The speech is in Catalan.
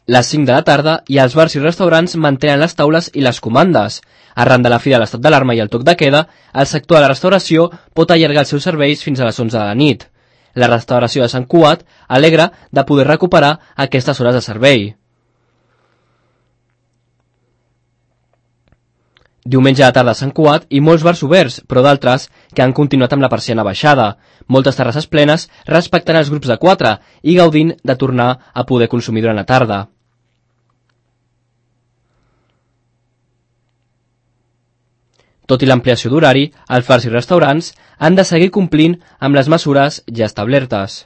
Les 5 de la tarda i els bars i restaurants mantenen les taules i les comandes. Arran de la fi de l'estat d'alarma i el toc de queda, el sector de la restauració pot allargar els seus serveis fins a les 11 de la nit. La restauració de Sant Cugat alegra de poder recuperar aquestes hores de servei. Diumenge a la tarda a Sant Cugat i molts bars oberts, però d'altres que han continuat amb la persiana baixada. Moltes terrasses plenes respectant els grups de 4 i gaudint de tornar a poder consumir durant la tarda. Tot i l'ampliació d'horari, els bars i restaurants han de seguir complint amb les mesures ja establertes.